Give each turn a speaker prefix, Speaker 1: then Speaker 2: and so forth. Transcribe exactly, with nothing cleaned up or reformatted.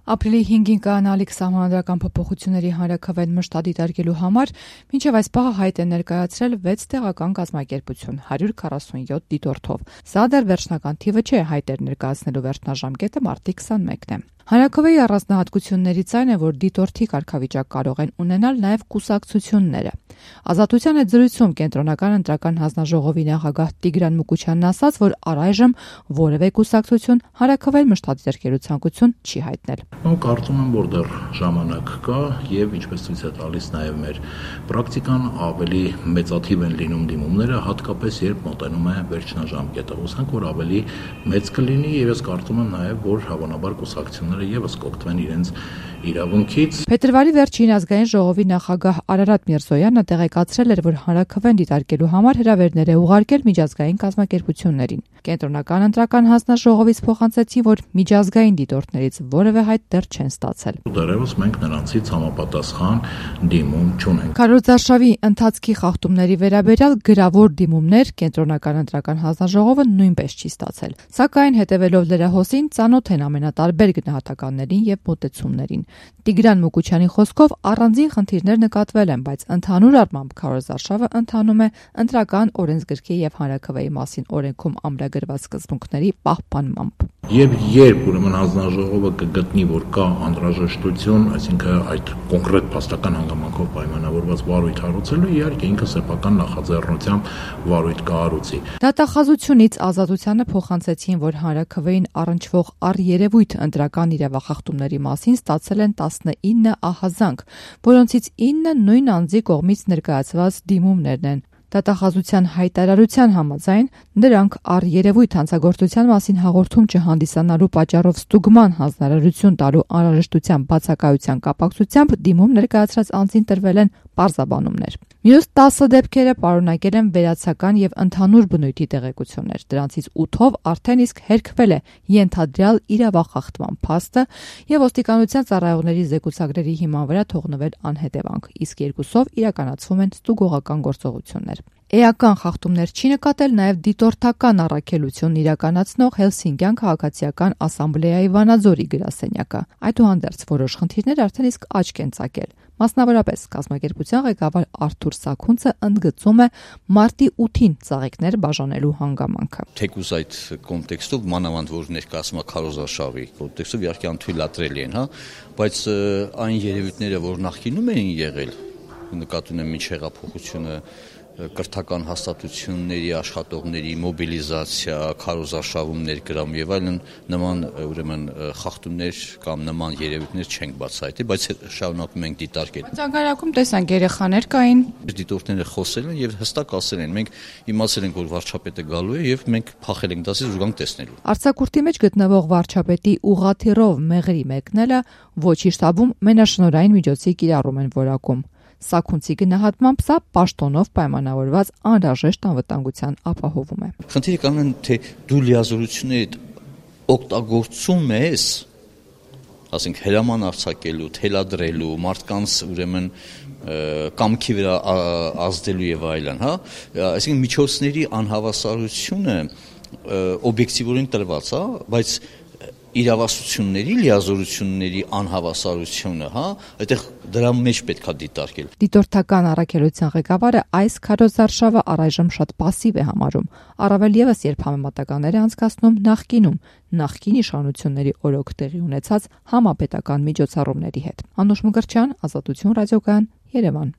Speaker 1: Ապրիլի հինգին կանալիք սահմանադրական փոփոխությունների հանրաքվեն մշտադիտարկելու համար մինչև այս պահը հայտ է ներկայացրել վեց տեղական կազմակերպություն հարյուր քառասունյոթ դիտորդով։ Սա դեռ վերջնական թիվը չէ, հայտեր ներկայացնելու վերջնաժամկետը մարտի քսանմեկն է։ Հանրաքվեի առանձնահատկություններից այն է, որ դիտորդի կարգավիճակ կարող են ունենալ նաև կուսակցությունները։ Ազատության հետ զրույցում կենտրոնական ընտրական հանձնաժողովի նախագահ Տիգրան Մուկուչյանն ասաց, որ առայժմ որևէ կուսակցություն հանրաքվեն մշտադիտարկելու ցանկություն չի հայտնել։
Speaker 2: Ու կարծում եմ, որ դեռ ժամանակ կա եւ ինչպես ցույց է տալիս նաեւ մեր պրակտիկան, ավելի մեծաթիվ են լինում դիմումները, հատկապես երբ մոտենում է վերջնաժամկետը։ Հուսանք, որ ավելի մեծ կլինի եւ ես կարծում եմ նաեւ, որ հավանաբար կուսակցությունները եւս կօգտվեն իրենց իրավունքից։
Speaker 1: Փետրվարի վերջին ազգային ժողովի նախագահ Արարատ Միրզոյանը տեղեկացրել էր, որ հանրաքվեն դիտարկելու համար հրավերներ է ուղարկել միջազգային կազմակերպություններին։ Կենտրոնական ընտրական հանձնաժողովից փոխանցեցի, որ միջազգային դիտորդներից որևէ հայտ դեռ չեն ստացել։
Speaker 2: Դեռևս մենք նրանցից համապատասխան դիմում չունենք։
Speaker 1: Քարոզարշավի ընթացքի խախտումների վերաբերյալ գրավոր դիմումներ կենտրոնական ընտրական հանձնաժողովը նույնպես չի ստացել։ Սակայն հետևելով լրահոսին ծանոթ են ամենատարբեր գնահատականներին եւ մոտեցումներին։ Տիգրան Մուկուչյանի խոսքով առանձին խնդիրներ նկատվել են, բայց ընդհանուր առմամբ քարոզարշավը ընթանում է ընտրական օրենսգրքի եւ հանրաքվեի մասին օրենքում ամրագրված սկզբունքների պահպանմամբ։
Speaker 2: Եվ երբ ուրեմն հանձնաժողովը կգտնի, որ կա անհրաժեշտություն, այսինքն այդ կոնկրետ փաստական հանգամանքով պայմանավորված վարույթ հարուցելու, իհարկե ինքը սեփական նախաձեռնությամբ վարույթ կհարուցի։
Speaker 1: Դատախազությունից Ազատությանը փոխանցեցին, որ հանրաքվեին առնչվող առերևույթ ընտրական իրավախախտումների մասին ստացել են տասնինը ահազանգ, որոնցից ինը նույն անձի կողմից ներկայացված դիմումներն են։ Դատախազության հայտարարության համաձայն նրանք առերևույթ հանցագործության մասին հաղորդում չհանդիսանալու պատճառով ստուգման հանձնարարություն տալու անհրաժեշտության բացակայության կապակցությամբ դիմում ներկայացրած անձին տրվել են պարզաբանումներ։ Մյուս տասը դեպքերը պարունակել են վերացական եւ ընդհանուր բնույթի տեղեկություններ։ Դրանցից ութով արդեն իսկ հերքվել է ենթադրյալ իրավախախտման փաստը եւ ոստիկանության ծառայողների զեկուցագրերի հիման վրա թողնվել անհետևանք, իսկ երկուսով իրականացվում են ստուգողական գործողություններ։ Էական խախտումներ չի նկատել նաև դիտորդական առաքելություն իրականացնող Հելսինկյան քաղաքացիական ասամբլեայի Վանաձորի գրասենյակը։ Այդուհանդերձ որոշ խնդիրներ արդեն իսկ աչք են ծակել։ Մասնավորապես կազմակերպության ղեկավար Արթուր Սաքունցը ընդգծում է մարտի ութին ծաղիկներ բաժանելու հանգամանքը։
Speaker 3: Թեկուզ այդ կոնտեքստով մանավանդ որ ներկայացում է քարոզարշավի կոնտեքստով իհարկե անթույլատրելի են, հա, բայց այն երևույթները, որ նախկինում էին եղել, նկատի ունեմ ինչ հեղափոխությունը կրթական հաստատությունների աշխատողների մոբիլիզացիա, քարոզարշավում ներգրավում եւ այլն նման ուրեմն խախտումներ կամ նման երևույթներ չենք բացահայտել, բայց շարունակում ենք դիտարկել։
Speaker 1: Ցանկարակում տեսանք երեխաներ կային։
Speaker 3: Դիտորդները խոսել են եւ հստակ ասել են, մենք իմացել ենք, որ վարչապետը գալու է եւ մենք փախել ենք դասից ու գանք տեսնելու։
Speaker 1: Արձակուրդի մեջ գտնվող վարչապետի ուղղաթիռով մեղրի մեկնելը ոչ իշտաբում մենաշնորհային միջոցի կիրառում են որակում։ Սաքունցի գնահատմամբ սա պաշտոնով պայմանավորված անհրաժեշտ անվտանգության ապահովում է։
Speaker 3: Խնդիրը կանգնեն, թե դու լիազորությունների օգտագործում ես, ասենք հրաման արձակելու, թելադրելու, մարդկանց ուրեմն կամքի վրա ազդելու եւ այլն, հա, այսինքն միջոցների անհավասարությունը օբյեկտիվորեն տրված, հա, բայց իրավասությունների, լիազորությունների անհավասարությունը, հա, այդտեղ դրա մեջ պետք է դիտարկել։
Speaker 1: Դիտորդական առաքելության ղեկավարը այս քարոզարշավը առայժմ շատ պասիվ է համարում, առավել եւս երբ համեմատականներ է անցկացնում նախկինում, նախկին իշխանությունների օրոք տեղի ունեցած համապետական միջոցառումների հետ։ Անուշ Մկրտչյան, Ազատություն ռադիոկայան, Երևան։